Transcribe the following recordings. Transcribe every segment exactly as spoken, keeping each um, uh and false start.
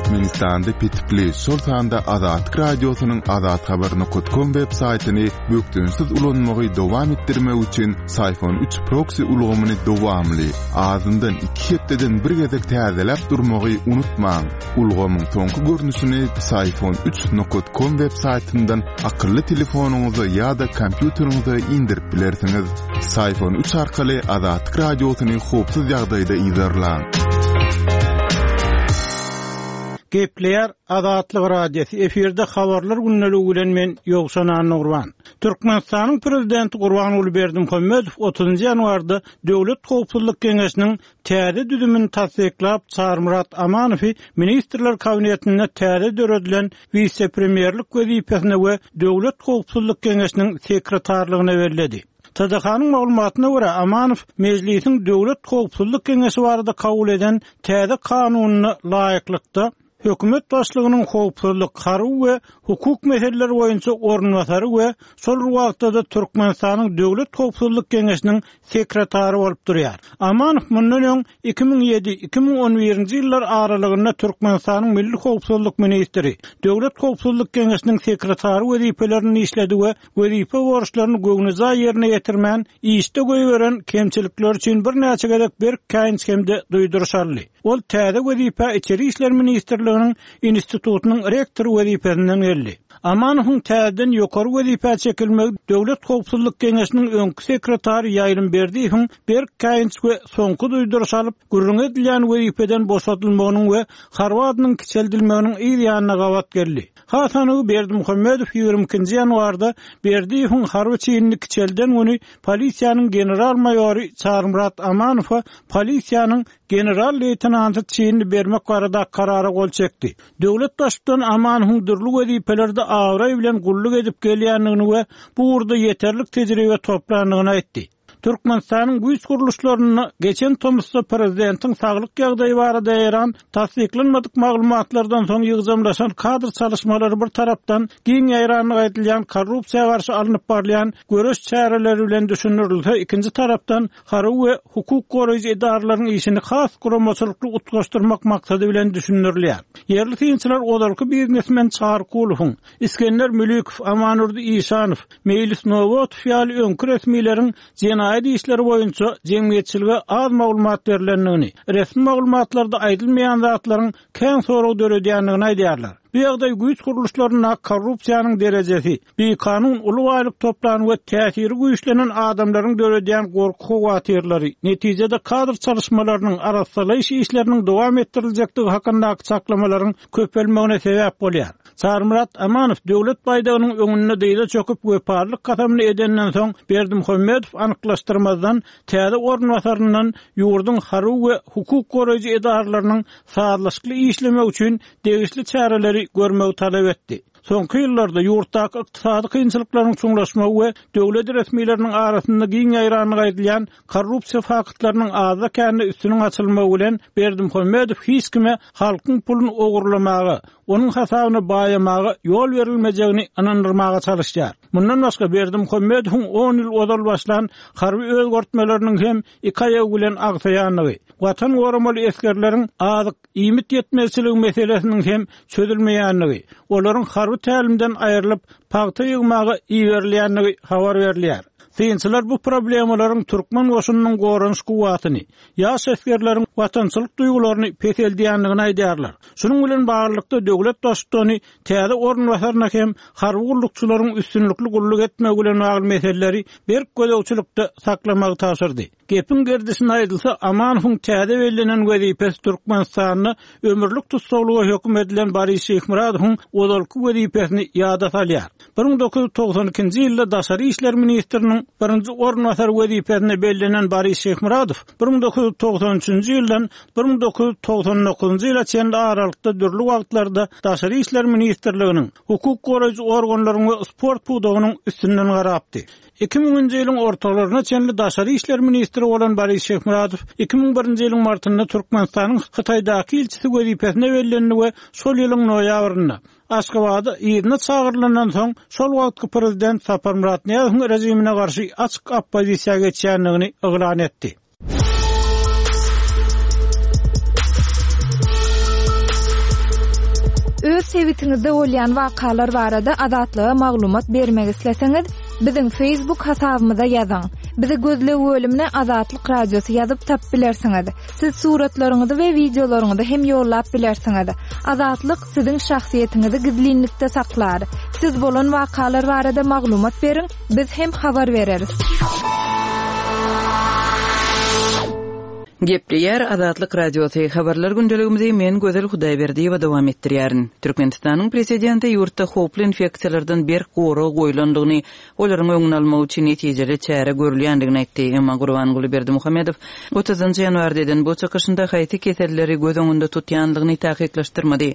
Türkmenistanda petikli, şol sanda Azatlyk Radiosynyň azathabar nokat kom web saýtyny bökdençsiz ulanmagy dowam etdirmek üçin Syfon üç proksi ulgamyny dowamly, azyndan iki hepdeden bir gezek täzeläp durmagy unutmaň. Ulgamyň soňky görnüşini Syfon üç nokat kom web saýtyndan akylly telefonyňyza ýa-da kompýuteriňize indirip bilersiňiz. Syfon üç arkaly Azatlyk Radiosyny howpsuz ýagdaýda yzarlaň. Gepleýär Azatlyk Radiosy efirde habarlar gündeligi bilen men Ýowşan Annagurban. Türkmenistanyň prezidenti Gurbanguly Berdimuhamedow otuzynjy ýanwarda Döwlet howpsuzlyk geňeşiniň täze düzümini tassyklap, Çarmyrat Amanowy Ministrler Kabinetinde täze döredilen wise-premýerlik wezipesine we Döwlet howpsuzlyk geňeşiniň sekretarlygyna belledi. T D H-nyň maglumatyna görä, Amanow Mejlisiň Döwlet howpsuzlyk geňeşi barada kabul eden täze kanunyna laýyklykda hökümet başlygynyň howpsuzlyk, harby we hukuk meseleleri boýunça orunbasary we şol wagtda-da Türkmenistanyň Döwlet howpsuzlyk geňeşiniň sekretary bolup durýar. Amanow mundan öň iki müň ýedi iki müň on birinji ýyllar aralygynda Türkmenistanyň Milli howpsuzlyk ministri, Döwlet howpsuzlyk geňeşiniň sekretary wezipelerini işledi we wezipe borçlaryny göwnüjaý ýerine ýetirmän, işde goýberen kemçilikler üçin birnäçe gezek berk käýinç hem-de duýduryş aldy. Ol täze wezipe Içeri işler ministrliginiň institutynyň rektory wezipesinden geldi. Amanowyň täzeden ýokary wezipä çekilmegi Döwlet howpsuzlyk geňeşiniň öňki sekretary Ýaýlym Berdiýewiň berk käýinç we soňky duýduryş alyp, gürrüň edilýän wezipeden boşadylmagynyň we harby adynyň kiçeldilmeginiň yz ýanyna gabat geldi. Hasanowy Berdimuhamedow ýigrimi ikinji ýanwarda Berdiýewiň harby çinini kiçelden güni polisiýanyň general-maýory Çarmyrat Amanowa polisiýanyň general-leýtenanty çinini bermek barada karara gol çekdi. Döwlet baştutan Amanowyň dürli wezipelerde abraý bilen gulluk edip gelýändigini we bu ugurda ýeterlik tejribe toplandygyny aýtdy. Türkmenistanyň güýç gurluşlarynda geçen tomusda prezidentiň saglyk ýagdaýy barada ýaran tassyklanmadyk maglumatlardan soň ýygjamlaşan kadr çalışmalary bir tarapdan giň ýaýranlyk aýdylýan korrupsiýa garşy alnyp barylýan göreş çäreleri bilen düşündirilse, ikinji tarapdan harby we hukuk goraýjy edaralaryň işini has guramaçylykly utgaşdyrmak maksady bilen düşündirilýär. Ýerli synçylar ozalky biznesmen Çarkulowyň, Iskender Mülikow, Amanurdy Işanow, Meýlis Nowotow ýaly öňki resmileriň jenaýat işleri boýunça jemgyýetçilige az maglumat berilendigini, resmi maglumatlarda aýdylmaýan zatlaryň kän sorag döredýändigini aýdýarlar. Bu ýagdaý güýç gurluşlarynda korrupsiýanyň derejesi, bikanun uly baýlyk toplan we täsiri güýçlenen adamlaryň döredýän gorky howatyrlary, netijede kadr çalışmalarynyň arassalaýyş işleriniň dowam etdiriljekdigi hakyndaky çaklamalaryň köpelmegine sebäp bolýar. Çarmyrat Amanow döwlet baýdagynyň öňünde dyza çöküp wepalyk kasamyny edenden soň Berdimuhamedow anyklaşdyrmazdan täze orunbasaryndan ýurduň harby we hukuk goraýjy edaralarynyň sazlaşykly işlemek üçin degişli çäreleri görmegi talap etdi. Soňky ýyllarda ýurtdaky ykdysady kynçylyklaryň çuňlaşmagy we döwlet resmileriniň arasynda giň ýaýranlyk aýdylýan korrupsiýa faktlarynyň azda kände üstüniň açylmagy bilen Berdimuhamedow hiç kime halkyň puluny ogurlamaga, onuň hasabyna baýamaga ýol berilmejegini ynandyrmaga çalışýar. Mundan başga Berdimuhamedowyň on ýyl ozal başlan harby özgertmeleriniň hem iki aýagy bilen agsaýandygy, watan goramaly esgerleriň azyk iýmit ýetmezçiligi meselesiniň hem çözülmeýändigi, olaryň harby tälimden aýrylyp pagta ýygmaga iberilýändigi habar berilýär. Synçylar bu problemalaryň türkmen goşunynyň goranyş kuwwatyny, ýaş esgerleriň watançylyk duýgularyny peseldýändigini aýdýarlar. Şunuň bilen baglylykda döwlet baştutany täze orunbasaryna hem harby gullukçylaryň üstünlikli gulluk etmegi bilen bagly meseleleri berk gözegçilikde saklamagy tabşyrdy. Gepiň gerdişine aýdylsa, Amanowyň täze bellenen wezipesi Türkmenistanda ömürlik tussaglyga höküm edilen Boris Şeýhmyradowyň ozalky wezipesini ýada salýar. bir müň dokuz ýüz togsan ikinji ýylda Daşary işler ministriniň birinji orunbasary wezipesine bellenen Boris Şeýhmyradow bir müň dokuz ýüz togsan üçünji ýyldan bir müň dokuz ýüz togsan dokuzynjy ýyla çenli aralykda dürli wagtlarda Daşary işler ministrliginiň, hukuk goraýjy organlaryň we sport pudagynyň üstünden garapdy. Iki müňünji ýylyň ortalaryna çenli Daşary işler ministri bolan Boris Şeýhmyradow iki müň birinji ýylyň martynda Türkmenistanyň Hytaýdaky ilçisi wezipesine bellendi we şol ýylyň noýabrynda Aşgabada yzyna çagyrylandan soň şol wagtky prezident Saparmyrat Nyýazowyň rejimine garşy açyk oppozisiýa geçýändigini yglan etdi. Sebitiňizde bolýan wakalar barada Azatlyga maglumat bermek isleseňiz, biziň Facebook hasabymyza ýazyň. Bizi gözleg bölümine Azatlyk Radiosy ýazyp tapyp bilersiňiz. Siz suratlaryňyzy we wideolaryňyzy hem ýollap bilersiňiz. Azatlyk siziň şahsyýetiňizi gizlinlikde saklar. Siz bolan wakalar barada maglumat beriň, biz hem habar bereris. Gepleýär Azatlyk Radiosy habarlar gündeligimizi men Gözel Hudaýberdiýewa dowam etdirýärin. Türkmenistanyň prezidenti ýurtda howply infeksiýalardan berk gorag goýlandygyny, olaryň öňüni almak üçin netijeli çäre görülýändigini aýtdy. Emma Gurbanguly Berdimuhamedow otuzynjy ýanwarda eden bu çykyşynda haýsy keselleri göz öňünde tutýandygyny takyklaşdyrmady.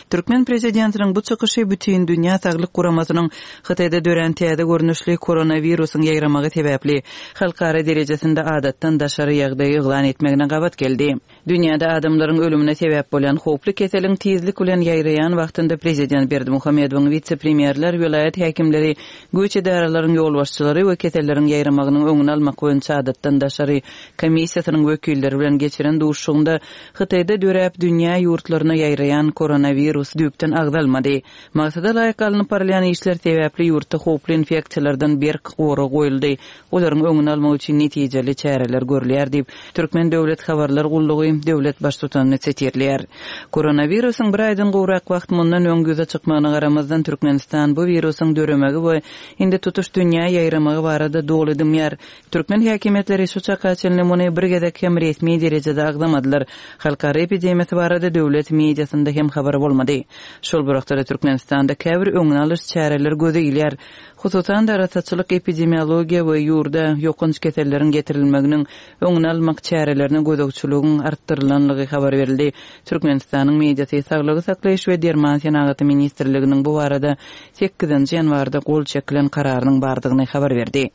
Türkmen prezidentiniň bu çykyşy Bütin Dünýä Saglyk Guramasynyň Hytaýda dörän täze görnüşli koronawirusyň ýaýramagy sebäpli halkara derejesinde adatdan daşary ýagdaýy yglan etmegine gabat geldi. Dünýäde adamlaryň ölümine sebäp bolýan howply keseliň tizlik bilen ýaýraýan wagtynda prezident Berdimuhamedowyň wise-premýerler, welaýat häkimleri, güýç edaralaryň ýolbaşçylary we keselleriň ýaýramagynyň öňüni almak boýunça adatdan daşary komissiýasynyň wekilleri bilen geçiren duşuşygynda Hytaýda döräp dünýä ýurtlaryna ýaýraýan koronawirus düýpden agzalmady. Maksada laýyk alnyp barylýan işler sebäpli ýurtda howply infeksiýalardan berk gorag goýuldy. Olaryň öňüni almak üçin netijeli çäreler görülýär diýip, Türkmen döwlet habarlar gullugy döwlet baştutanyny sitirleýär. Koronawirusyň bir aýdan gowrak wagt mundan öň ýüze çykmagyna garamazdan Türkmenistan bu wirusyň döremegi we indi tutuş dünýä ýaýramagy barada doly dymýar. Türkmen häkimiýetleri şu çaka çenli muny bir gezek hem resmi derejede agzamadylar. Halkara epidemiýasy barada döwlet mediasynda hem habar bolmady. Şol bir wagtda Türkmenistanda käbir öňüni alyş çäreler göze ilýär. Hususan-da arassaçylyk epidemiologiýa we ýurda ýokanç keselleriň getirilmeginiň öňüni almak çärelerine gözegçiligiň artdyrylanlygy habar berildi. Türkmenistanyň mediasy Saglygy saklaýyş we derman senagaty ministrliginiň bu barada sekizinji ýanwarda gol çekilen kararynyň bardygyny habar berdi.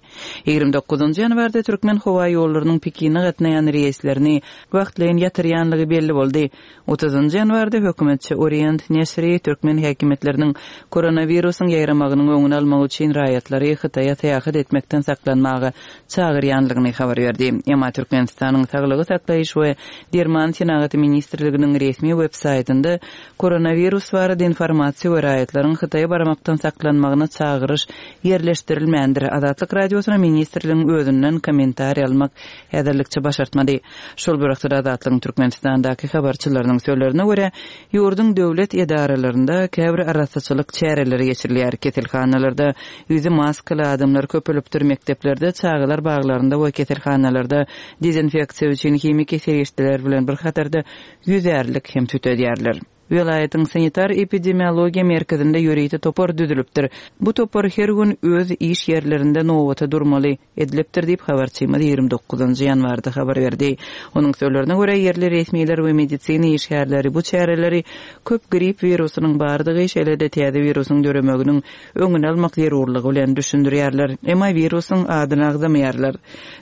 Ýigrimi dokuzynjy ýanwarda Türkmen howa ýollarynyň Pekine gatnaýan reýslerini wagtlaýyn ýatyrýanlygy belli boldy. Otuzynjy ýanwarda hökümetçi Orient neşiri türkmen häkimiýetleriniň koronawirusyň ýaýramagynyň öňüni almak üçin raýatlary Hytaýa syýahat etmekden saklanmaga çagyrýanlygyny habar berdi. Emma Türkmenistanyň Saglygy saklaýyş we derman senagaty ministrliginiň resmi web saýtynda koronawirus barada informasiýa we raýatlaryň Hytaýa barmakdan saklanmagyna çagyryş ýerleşdirilmändir. Azatlyk Radiosyna ministrligiň özünden kommentariý almak häzirlikçe başartmady. Şol bir wagtda Azatlygyň Türkmenistandaky habarçylarynyň sözlerine görä, ýurduň döwlet edaralarynda käbir arassaçylyk çäreleri geçirilýär. Keselhanalarda ýüzi maskaly adamlar köpelipdir, mekdeplerde, çagalar baglarynda we keselhanalarda dezinfeksiýa üçin himiki serişdeler bilen bir hatarda ýüzärlik hem tütedýärler. Welaýatyň sanitar epidemiologiýa merkezinde ýörite topar düzülipdir. Bu topar her gün öz iş ýerlerinde nowata durmaly edilipdir diýip habarçymyz ýigrimi dokuzynjy ýanwarda habar berdi. Onuň sözlerine görä ýerli resmiler we medisina işgärleri bu çäreleri köp grip wirusynyň bardygy, şeýle-de täze wirusyň döremeginiň öňüni almak zerurlygy bilen düşündirýärler. Emma wirusyň adyny agzamaýarlar.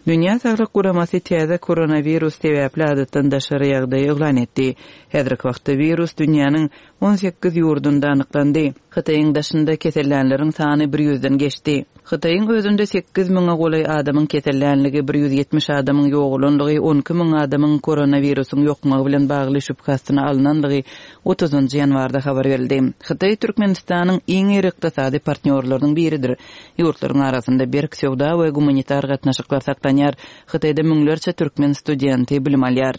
Dünýä Saglyk Guramasy täze koronawirus sebäpli adatdan daşary ýagdaýy yglan etdi. Häzirki wagtda wirus dünýäniň on sekiz ýurdunda anyklandy. Hytaýyň daşynda kesellänleriň sany bir ýüzden geçdi. Hytaýyň özünde sekiz müňe golaý adamyň kesellänligi, bir ýüz ýetmiş adamyň ýogalanlygy, on iki müň adamyň koronawirusyň ýokmagy bilen bagly şübhe astyna alynanlygy otuzynjy ýanwarda habar berildi. Hytaý Türkmenistanyň iň iri ykdysady partnýorlarynyň biridir. Ýurtlaryň arasynda berk söwda we gumanitar gatnaşyklar saklanýar. Hytaýda müňlerçe türkmen studenti bilim alýar.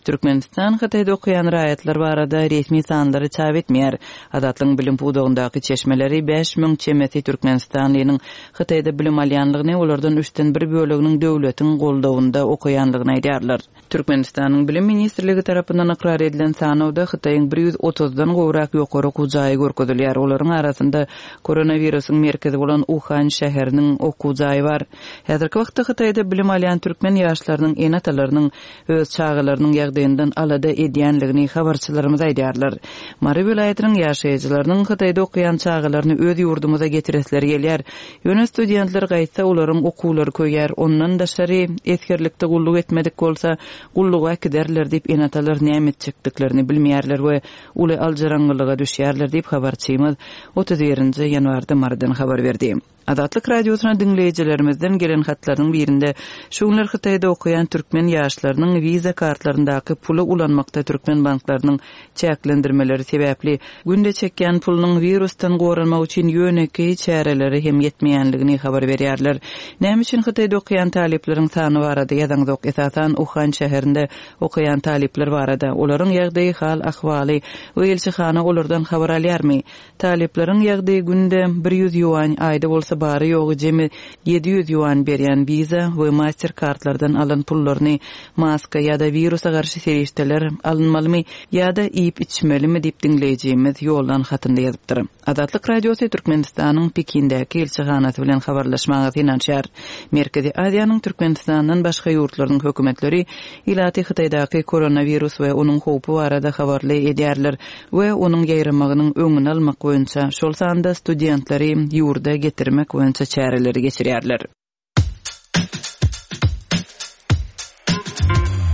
Türkmenistan Hytaýda okaýan raýatlar barada resmi sanlary çap etmeýär. Azatlygyň bilim pudagyndaky çeşmeleri bäş müň çemesi Türkmenistanlynyň Hytaýda bilim alýanlygyny, olardan üçden bir böleginiň döwletiň goldawynda okaýanlygyny aýdýarlar. Türkmenistanyň Bilim Ministrligi tarapyndan ykrar edilen sanawda Hytaýyň bir ýüz otuzdan gowrak ýokary okuw jaýy görkezilýär. Olaryň arasynda koronawirusyň merkezi bolan Uhan şäheriniň okuw jaýy bar. Häzirki wagtda Hytaýda bilim alýan türkmen ýaşlarynyň ene-atalarynyň öz çagalarynyň ýagdaýyndan alada edýänligini habarçylarymyz aýdýarlar. Mary welaýatynyň ýaşaýjylarynyň Hytaýda okaýan çagalaryny öz ýurdumyza getiresleri gelýär. Ýöne studentler gaýtsa olaryň okuwlary köýär. Ondan daşary esgerlikde gulluk etmedik bolsa gulluga äkiderler diýip ene-atalar näme etjekdiklerini bilmeýärler we uly aljyraňňylyga düşýärler diýip habarçymyz otuz birinji ýanwarda Marydan habar berdi. Azatlyk Radiosyna diňleýjilerimizden gelen hatlaryň birinde şu günler Hytaýda okaýan türkmen ýaşlarynyň wiza kartlaryny hasaplaryndaky puly ulanmakda türkmen banklarynyň çäklendirmeleri sebäpli günde çekýän pulunyň wirusdan goranmak üçin ýönekeý çäreleri hem ýetmeýänligini habar berýärler. Näme üçin Hytaýda okaýan talyplaryň sany barada ýazaňzok, esasan Uhan şäherinde okaýan talyplar barada, olaryň ýagdaýy, hal ahwaly we ilçihana olardan habar alýarmy? Talyplaryň ýagdaýy günde bir ýüz ýuan, aýda bolsa bary ýogy jemi ýedi ýüz ýuan berýän Visa we Mastercardlardan alan pullaryny maska ýa-da wirusa garşy serişdeler alynmalymy ýa-da iýip içmelimi diýip diňleýjimiz ýoldan hatynda ýazypdyr. Azatlyk Radiosy Türkmenistanyň Pekindäki ilçihanasy bilen habarlaşmaga synanyşýar. Merkezi Aziýanyň Türkmenistandan başga ýurtlarynyň hökümetleri ilaty Hytaýdaky koronawirus we onuň howpy barada habarly edýärler we onuň ýaýramagynyň öňüni almak boýunça, şol sanda studentleri ýurda getirmek boýunça çäreleri geçirýärler.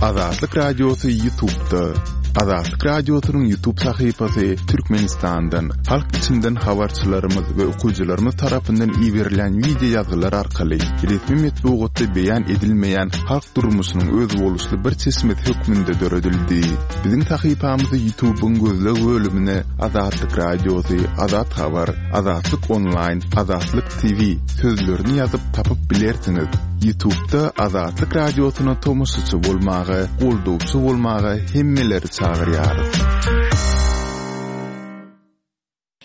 Azatlyk Radiosy YouTube'da. Azatlyk Radiosynyň YouTube sahypasy Türkmenistandan, halk içinden habarçylarymyz we okyjylarymyz tarapyndan iberilen video ýazgylar arkaly resmi metbugatda beýan edilmeýän halk durmuşynyň özboluşly bir çeşmesi hökmünde döredildi. Biziň sahypamyzy YouTube'yň gözleg bölümine Azatlyk Radiosy, Azat Habar, Azatlyk Online, Azatlyk T V sözlerini ýazyp tapyp bilersiňiz. YouTube'da Azatlyk Radiosyna tomaşaçy bolmaga, goldawçy bolmaga hemmeleri çagyrýarys.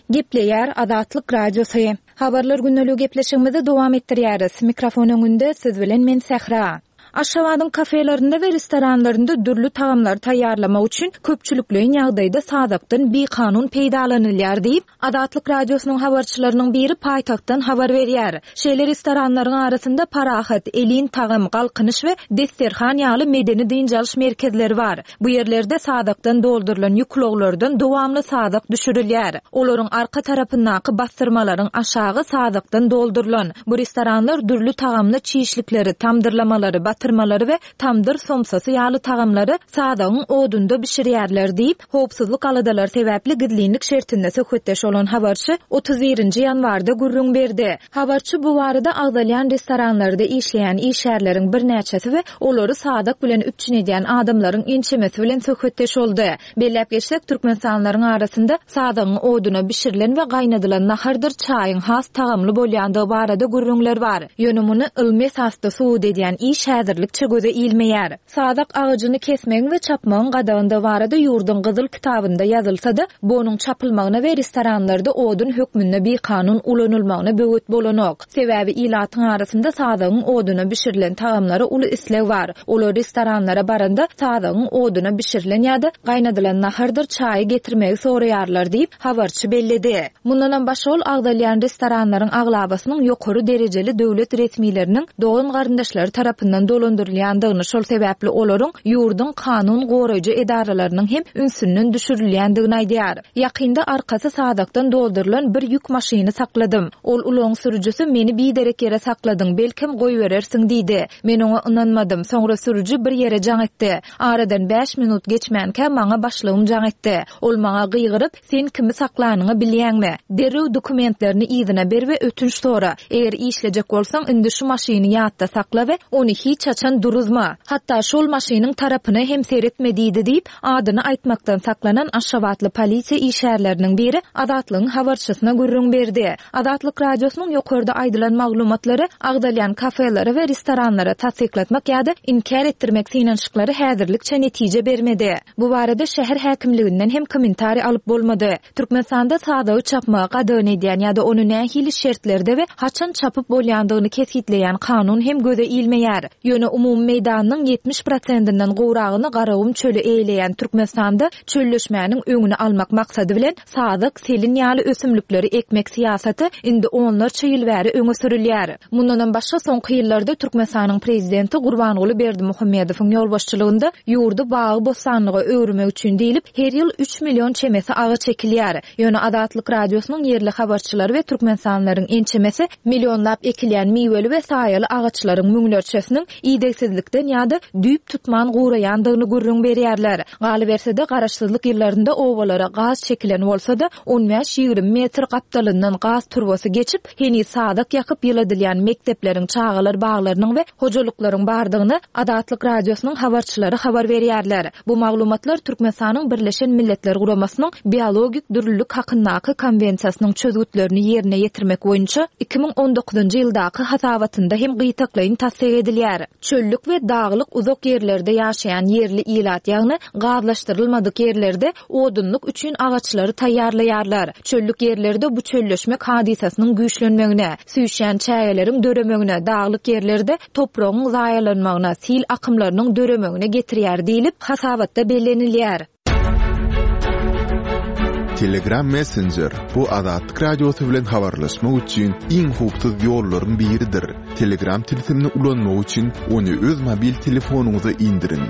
Gepleýär Azatlyk Radiosy. Habarlar gündelik gepleşigimizi dowam etdirýäris. Mikrofon öňünde siz bilen men Sähra. Aşgabadyň kafelerinde we restoranlarynda dürli tagamlary taýýarlamak üçin köpçülikleýin ýagdaýda sazakdan bikanun peýdalanylýar diýip, Azatlyk Radiosynyň habarçylarynyň biri paýtagtdan habar berýär. Şeýle restoranlaryň arasynda Parahat, Elin tagam, Galkynyş we Desterhan ýaly medeni dynç alyş merkezleri bar. Bu ýerlerde sazakdan doldurylan ýük ulaglardan dowamly sazak düşürilýär. Olaryň arka tarapyndaky bastyrmalaryň aşagy sazakdan doldurylan. Bu restoranlar dürli tagamly çişlikleri, tamdyrlamalary, batyrmalary we tamdyr somsasy ýaly tagamlary sazagyň odunda bişirýärler diýip, howpsuzlyk aladalary sebäpli gizlinlik şertinde söhbetdeş bolan habarçy otuz birinji ýanwarda gürrüň berdi. Habarçy bu barada agzalýan restoranlarda işleýän işgärleriň birnäçesi we olary sazak bilen üpjün edýän adamlaryň ençemesi bilen söhbetdeş boldy. Belläp geçsek, Türkmenistanlylaryň arasynda sazagyň oduna bişirilen we gaýnadylan nahardyr çaýyň has tagamly bolýandygy barada gürrüňler bar. Ýöne muny ylmy esasda subut edýän iş häzirlikçe göze ilmeýär. Sazak agajyny kesmegiň we çapmagyň gadagynda barada ýurduň Gyzyl kitabynda ýazylsa-da, bu onuň çapylmagyna we restoranlarda odun hökmünde bikanun ulanylmagyna böwet bolanok. Sebäbi ilatyň arasynda sazagyň oduna bişirilen tagamlara uly isleg bar. Olar restoranlara baranda sazagyň oduna bişirilen ýa-da gaýnadylan nahardyr çaýy getirmegi soraýarlar diýip habarçy belledi. Mundanam başga ol agzalýan restoranlaryň aglabasynyň ýokary derejeli döwlet resmileriniň dogan garyndaşlary tarapyndan dolandyrylýandygyny, şol sebäpli olaryň ýurduň kanun goraýjy edaralarynyň hem ünsünden düşürilýändigini aýdýar. Ýakynda arkasy sazakdan doldurylan bir ýük maşyny sakladym. Ol ulagyň sürüjisi meni biderek ýere sakladyň, belkem goýberersiň diýdi. Men oňa ynanmadym. Soňra sürüji bir ýere jaň etdi. Aradan bäş minut geçmänkä maňa başlygym jaň etdi. Ol maňa gygyryp, sen kimi saklanyňy bilýäňmi? Derrew dokumentlerini yzyna ber we ötünç sora. Eger işlejek bolsaň, indi şu maşyny ýatda sakla we ony hiç haçan duruzma. Hatda şol maşynyň tarapyna hem seretme diýdi diýip, adyny aýtmakdan saklanan Aşgabatly polisiýa işgärleriniň biri Azatlygyň habarçysyna gürrüň berdi. Azatlyk Radiosynyň ýokarda aýdylan maglumatlary agzalýan kafelere we restoranlara tassyklatmak ýa-da inkär etdirmek synanyşyklary häzirlikçe netije bermedi. Bu barada şäher häkimliginden hem kommentariý alyp bolmady. Türkmenistanda sazagy çapmagy gadagan edýän ýa-da ony nähili şertlerde we haçan çapyp bolýandygyny kesgitleýän kanun hem göze ilmeýär. Ýöne umumy meýdanynyň ýetmiş prosentinden gowragyny Garagum çöli eýleýän Türkmenistanda çölleşmäniň öňüni almak maksady bilen sazak, selin ýaly ösümlikleri ekmek syýasaty indi onlarça ýyl bäri öňe sürülýär. Mundanam başga soňky ýyllarda Türkmenistanyň prezidenti Gurbanguly Berdimuhamedowyň ýolbaşçylygynda ýurdy bagy-bossanlyga öwürmek üçin diýlip her ýyl üç million çemesi agaç ekilýär. Ýöne Azatlyk Radiosynyň ýerli habarçylary we Türkmenistanlylaryň ençemesi millionlap ekilýän miweli we saýaly agaçlaryň müňlerçesiniň idegsizlikden ýa-da düýp tutman guraýandygyny gürrüň berýärler. Galyberse-de garaşsyzlyk ýyllarynda obalara gaz çekilen bolsa-da on bäş ýigrimi metr gapdalyndan gaz turbasy geçip, heniz sazak ýakyp ýyladylýan mekdepleriň, çagalar baglarynyň we hojalyklaryň bardygyny Azatlyk Radiosynyň habarçylary habar berýärler. Bu maglumatlar Türkmenistanyň Birleşen Milletler Guramasynyň biologik dürlülük hakyndaky konwensiýasynyň çözgütlerini ýerine ýetirmek boýunça iki müň on dokuzynjy ýyldaky hasabatynda hem gytaklaýyn tassyk edilýär. Çöllük we daglyk uzak ýerlerde ýaşaýan ýerli ilat, ýagny gazlaşdyrylmadyk ýerlerde odunlyk üçin agaçlary taýýarlaýarlar. Çöllük ýerlerde bu çölleşmek hadysasynyň güýçlenmegine, süýşýän çägeleriň döremegine, daglyk ýerlerde topragyň zaýalanmagyna, sil akymlarynyň döremegine getirýär diýlip hasabatda bellenilýär. Telegram Messenger bu Azatlyk Radiosy bilen habarlaşmak üçin iň howpsuz ýollaryň biridir. Telegram tilsimini ulanmak üçin ony öz mobil telefonyňyza indiriň.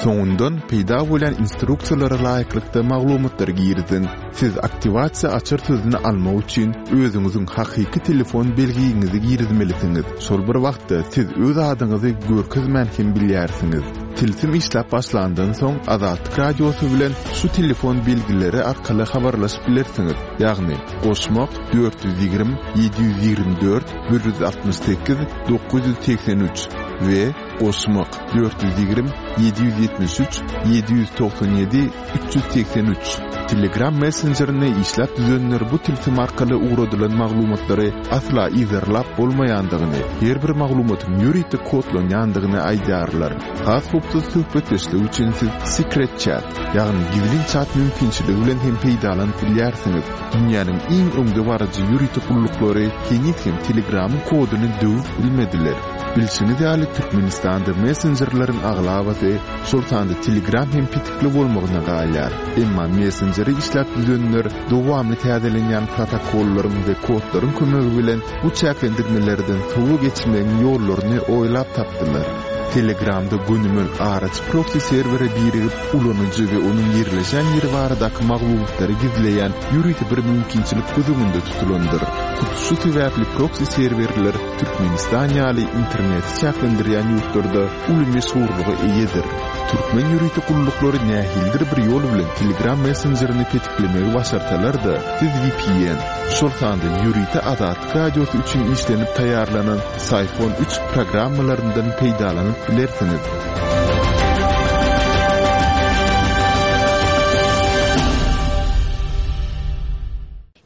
Soňundan peýda bolan instruksiýalara laýyklykda maglumatlary giriziň. Siz aktiwasiýa açar sözüni almak üçin özüňiziň hakyky telefon belgiňizi girizmelisiňiz. Şol bir wagtda siz öz adyňyzy görkezmän hem bilýärsiňiz. Tilsim işläp başlandan soň Azatlyk Radiosy bilen şu telefon belgileri arkaly habarlaşyp bilersiňiz. Ýagny goşmak dört ýüz ýigrimi, ýedi ýüz ýigrimi dört, bir ýüz altmyş sekiz, dokuz ýüz segsen üç we goşmak dört ýüz ýigrimi, ýedi ýüz ýetmiş üç, ýedi ýüz togsan ýedi, üç ýüz segsen üç. Telegram messenjerine işläp düzenler bu tilsim arkaly ugradylan maglumatlary asla yzarlap bolmaýandygyny, her bir maglumatyň ýörite kodlanýandygyny aýdýarlar. Has howpsuz söhbetdeşlik üçin siz Secret Chat, ýagny gizlin chat mümkinçiligi bilen hem peýdalanyp bilýärsiňiz. Dünýäniň iň öňdebaryjy ýörite gulluklary heniz hem Telegramyň koduny döwüp bilmediler. Bilşiňiz ýaly Türkmenistanda messenjerleriň aglabasy, şol sanda Telegram hem petikli bolmagyna galýar. Emma messenjeri işläp düzenler dowamly täzelenýän protokollaryň we kodlaryň kömegi bilen bu çäklendirmelerden sowa geçmegiň ýollaryny oýlap tapdylar. Telegramda gönümel araç proxy serwere birigip, ulanyjy we onuň ýerleşen ýeri baradaky maglumatlary gizleýän ýörite bir mümkinçilik göz öňünde tutulandyr. Hut şu sebäpli proxy serwerler Türkmenistan ýaly interneti çäklendirýän ýurtlarda uly meşhurlyga eýedir. Türkmen ýörite gulluklary nähilidir bir ýol bilen Telegram messenjerini petiklemegi başarsalar-da, siz V P N, şol sanda ýörite Azatlyk Radiosy üçin işlenip taýýarlanan Syphon üç programmalaryndan peýdalanyp bilersiňiz.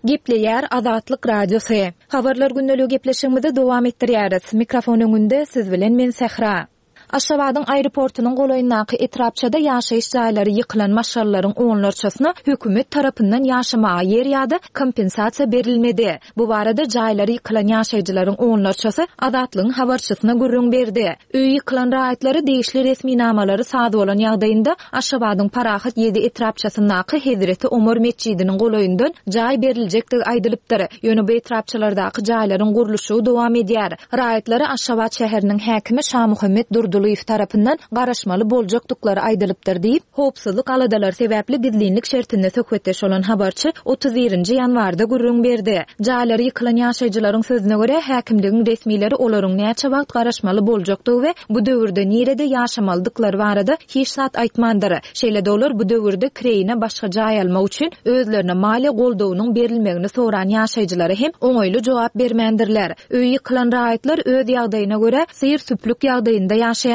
Gepleýär Azatlyk Radiosy. Habarlar gündeligi gepleşigimizi dowam etdirýäris. Mikrofon öňünde siz bilen men Sähra. Aşgabadyň aeroportunyň golaýyndaky etrapçada ýaşaýyş jaýlary ýykylan maşgalalaryň onlarçasyna hökümet tarapyndan ýaşamaga ýer ýa-da kompensasiýa berilmedi. Bu barada jaýlary ýykylan ýaşaýjylaryň onlarçasy Azatlygyň habarçysyna gürrüň berdi. Öýi ýykylan raýatlary degişli resminamalary saz bolan ýagdaýynda Aşgabadyň Parahat ýedi etrapçasyndaky Hezreti Omar metjidiniň golaýyndan jaý beriljekdigi aýdylypdyr. Ýöne bu etrapçalardaky jaýlaryň gurluşygy dowam edýär. Raýatlary Aşgabat şäheriniň häkimi Şamuhammet Durdylyýew tarapyndan garaşmaly boljakdyklary aýdylypdyr diýip, howpsuzlyk aladalary sebäpli gizlinlik şertinde söhbetdeş bolan habarçy otuz birinji ýanwarda gürrüň berdi. Jaýlary ýykylan ýaşaýjylaryň sözüne görä häkimligiň resmileri olaryň näçe wagt garaşmaly boljakdygy we bu döwürde nirede ýaşamalydyklary barada hiç zat aýtmandyr. Şeýle-de olar bu döwürde kireýine başga jaý almak üçin özlerine maliýe goldawynyň berilmegini soran ýaşaýjylara hem oňaýly jogap bermändirler. Öýi ýykylan raýatlar öz ýagdaýyna görä syr-süplük ýagdaýynda ýaşaýarlar.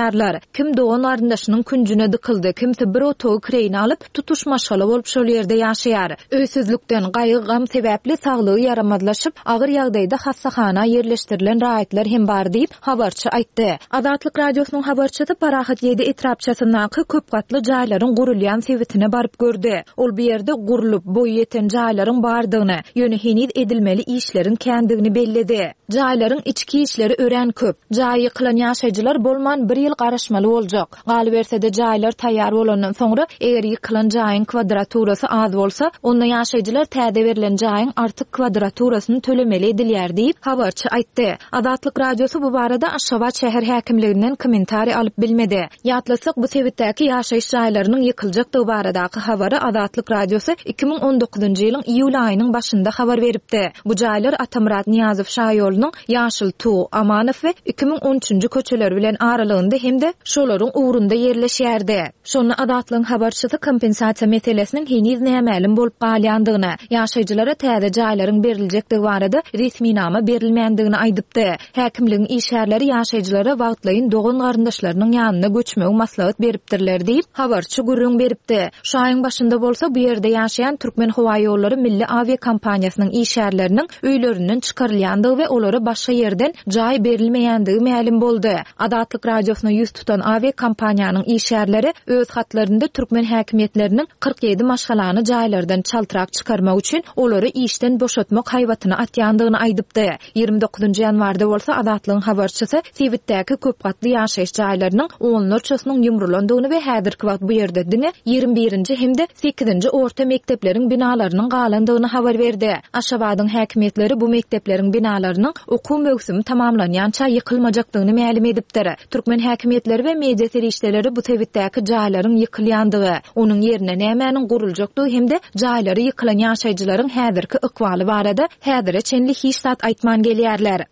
Kim dogan garyndaşynyň künjüne dykyldy, kimsi bir otagy kireýine alyp, tutuş maşgala bolup şol ýerde ýaşaýar. Öýsüzlükden gaýgy-gam sebäpli saglygy ýaramazlaşyp, agyr ýagdaýda hassahana ýerleşdirilen raýatlar hem bar diýip, habarçy aýtdy. Azatlyk Radiosynyň habarçysy Parahat ýedi etrapçasyndaky köp gatly jaýlaryň gurulýan sebitine baryp gördi. Ol bu ýerde gurlup, boýy ýeten jaýlaryň bardygyny, ýöne heniz edilmeli işleriň kändigini belledi. Jaýlaryň içki işleri örän köp. Jaý ýykylan ýaşaýjylar bolman bir ýyl garaşmaly boljak. Galyberse-de jaýlar taýýar bolandan soňra eger ýykylan jaýyň kvadraturasy az bolsa, onda ýaşaýjylar täze berlen jaýyň artyk kvadraturasyny tölemeli edilýär diýip habarçy aýtdy. Azatlyk Radiosy bu barada Aşgabat şäher häkimliginden kommentariý alyp bilmedi. Ýatlasak bu sebitdäki ýaşaýyş jaýlarynyň ýykyljakdygy baradaky habary Azatlyk Radiosy iki müň on dokuzynjy ýylyň iýul aýynyň başynda habar beripdi. Bu jaýlar Atamyrat Nyýazow şaýolunyň Ýaşyl Tuw, Amanow we iki müň on üçünji köçeleri bilen aralygynda gapdalynda hem-de şolaryň ugrunda ýerleşýärdi. Şonda Azatlygyň habarçysy kompensasiýa meselesiniň heniz nämälim bolup galýandygyny, ýaşaýjylara täze jaýlaryň beriljekdigi barada resminama berilmändigini aýdypdy. Häkimligiň işgärleri ýaşaýjylara wagtlaýyn dogan garyndaşlarynyň ýanyna göçmegi maslahat beripdirler diýip, habarçy gürrüň beripdi. Şu aýyň başynda bolsa bu ýerde ýaşaýan Türkmen Howa Ýollary Milli awiakompaniýasynyň işgärleriniň öýlerinden çykarylýandygy we olara başga ýerden jaý berilmeýändigi mälim boldy. Azatlyk Radiosyna ýüz tutan awiakompaniýanyň işgärleri öz hatlarynda türkmen häkimiýetleriniň kyrk ýedi maşgalany jaýlardan çaltrak çykarmak üçin olary işden boşatmak haýbatyny atýandygyny aýdypdy. Ýigrimi dokuzynjy ýanwarda bolsa Azatlygyň habarçysy sebitdäki köp gatly ýaşaýyş jaýlarynyň onlarçasynyň ýumrulandygyny we häzirki wagt bu ýerde diňe ýigrimi birinji hem-de sekizinji orta mekdepleriň binalarynyň galandygyny habar berdi. Aşgabadyň häkimiýetleri bu mekdepleriň binalarynyň okuw möwsümi tamamlanýança ýykylmajakdygyny mälim edipdir. Türkmen häkimiýetleri we media serişdeleri bu sebitdäki jaýlaryň ýykylýandygy, onuň ýerine nämäniň guruljakdygy hem-de jaýlary ýykylan ýaşaýjylaryň häzirki ykbaly barada häzire çenli hiç zat aýtman gelýärler.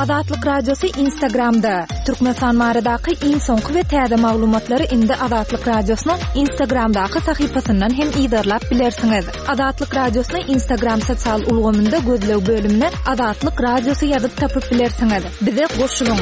Azatlyk Radiosy Instagramda. Türkmenistan baradaky iň soňky we täze maglumatlary indi Azatlyk Radiosynyň Instagramdaky sahypasyndan hem yzarlap bilersiňiz. Azatlyk Radiosyny Instagram sosial ulgamynda gözleg bölümine Azatlyk Radiosy ýazyp tapyp bilersiňiz. Bize goşulyň.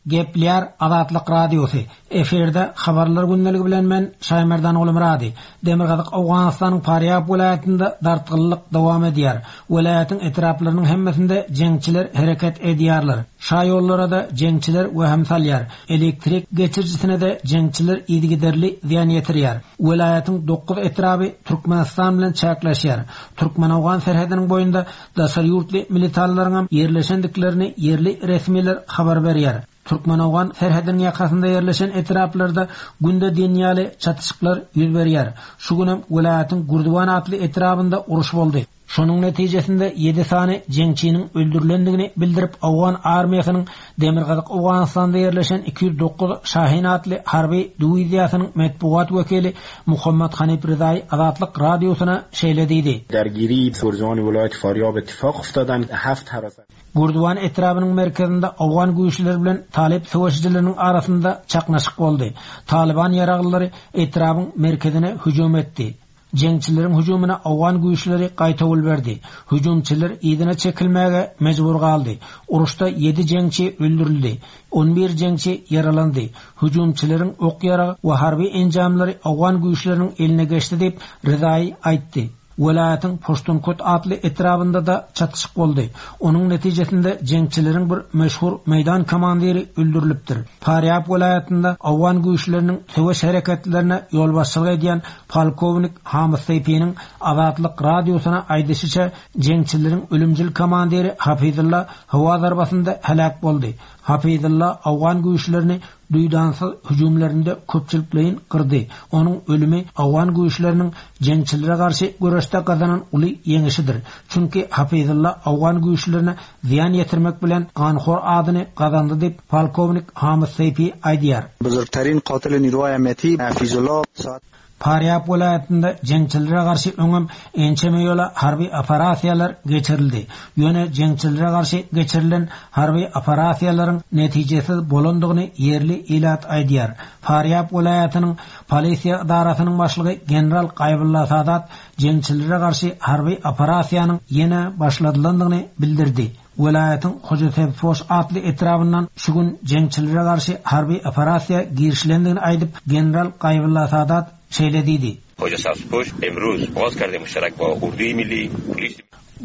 Gepler Azatlyk Radiosy. Efirde habarlar gündeligi bilen men Şaýmerdan Gulmyrady. Demirgazyk Owganystanyň Farýab welaýatynda dartgynlyk dowam edýär. Welaýatyň etraplarynyň hemmesinde jeňçiler hereket edýärler. Şaýollara da jeňçiler wehim salýar. Elektrik geçirijisine de jeňçiler yzygiderli zyýan ýetirýär. Welaýatyň dokuz etraby Türkmenistan bilen çäkleşýär. Türkmen-Owgan serhediniň boýunda daşary ýurtly militarlaryň hem ýerleşendiklerini ýerli resmiler habar berýär. Türkmen-Owgan serhediniň ýakasynda ýerleşen etraplarda günde diýen ýaly çatyşyklar ýüz berýär. Şu günem welaýatyň Gurduwan atly etrabynda uruş boldy. Şonuň netijesinde ýedi sany jeňçiniň öldürilendigini bildirip Owgan armiýasynyň Demirgazyk Owganystanda ýerleşen iki ýüz dokuz Şahin atly harby diwiziýasynyň metbugat wekili Muhammed Hanif Rizaý Azatlyk Radiosyna şeýle diýdi. Dergiri Gurduwan wilayat Faryab ittifaq uftadan haft harasan. Gurduwan etrabynyň merkezinde Owgan güýçleri bilen Talip söweşijileriniň arasynda çaknaşyk boldy. Taliban ýaraglylary etrabyň merkezine hüjüm etdi. Jeňçileriň hüjümine Owgan güýçleri gaýtawul berdi. Hüjümçiler yzyna çekilmäge mejbur galdy. Uruşda ýedi jeňçi öldürildi. On bir jeňçi ýaralandy. Hüjümçileriň ok ýaragy we harby enjamlary Owgan güýçleriniň eline geçdi diýip Rizaý aýtdy. Welaýatyň Poştunkot atly etrabynda da çatyşyk boldy. Onuň netijesinde jeňçileriň bir meşhur meýdan komandiri öldürilipdir. Farýab welaýatynda Owgan güýçleriniň söweş hereketlerine ýolbaşçylyk edýän polkownik Hamid Seýfiniň Azatlyk Radiosyna aýdyşyça jeňçileriň ölümcül komandiri Hafizullah howa zarbasynda heläk boldy. Hafizullah Owgan güýçlerini duýdansyz hüjümlerinde köpçülikleýin gyrdy. Onuň ölümi Owgan güýçleriniň jeňçilere garşy göreşde gazanan uly ýeňişidir. Çünki Hafizullah Owgan güýçlerine zyýan ýetirmek bilen ganhor adyny gazandy diýip polkownik Hamid Seýfi aýdýar. Buzurgtarin qatil niruhay amniyati Hafizullah saat Farýab welaýatynda jeňçilere garşy öňem ençeme ýola harby operasiýalar geçirildi. Ýöne jeňçilere garşy geçirilen harby operasiýalaryň netijesiz bolandygyny ýerli ilat aýdýar. Farýab welaýatynyň polisiýa idarasynyň başlygy general Gaýbulla Sadat jeňçilere garşy harby operasiýanyň ýene başladylandygyny bildirdi. Welaýatyň Hojasebfoş atly etrabyndan şu gün jeňçilere garşy harby operasiýa girişilendigini aýdyp general Gaýbulla Sadat şeýle diýdi. Hojasebfoş emruz ogaz kardi müşterek ba Urduy Milli Polis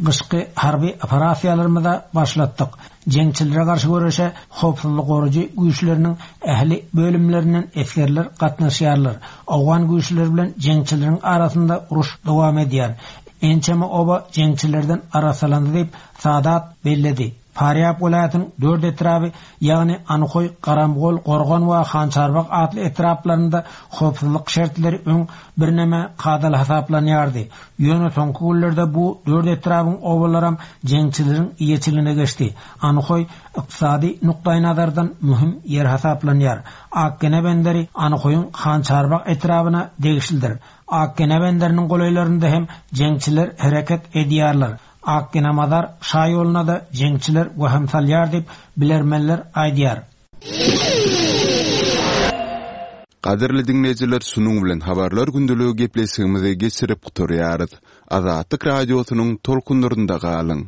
Gyşky harby operasiýalarymyza başlatdyk. Jeňçilere garşy göreşe howpsuzlyk goraýjy güýçleriniň ähli bölümlerinden esgerler gatnaşýarlar. Owgan güýçleri bilen jeňçileriň arasynda uruş dowam edýär. Ençeme oba jeňçilerden arasalandy diýip Sadat belledi. Farýab welaýatynyň dört etraby, ýagny Anhoý, Garamgol, Gorgan we Hançarbak atly etraplarynda howpsuzlyk şertleri öň birneme kadaly hasaplanýardy. Ýöne soňky günlerde bu dört etrabyň obalaram jeňçileriň eýeçiligine geçdi. Anhoý ykdysady nukdaýnazardan möhüm ýer hasaplanýar. Akgene benderi Anhoýyň Hançarbak etrabyna degişlidir. Akgene benderiniň golaýlarynda hem jeňçiler hereket edýärler. Akgina-Mazar şaýoluna-da jeňçiler wehim salýar diýip, bilermenler aýdýar. Gadyrly diňleýjiler şunuň bilen habarlar gündeligi gepleşigimizi geçirip gutarýarys. Azatlyk Radiosynyň tolkunlarynda galyň.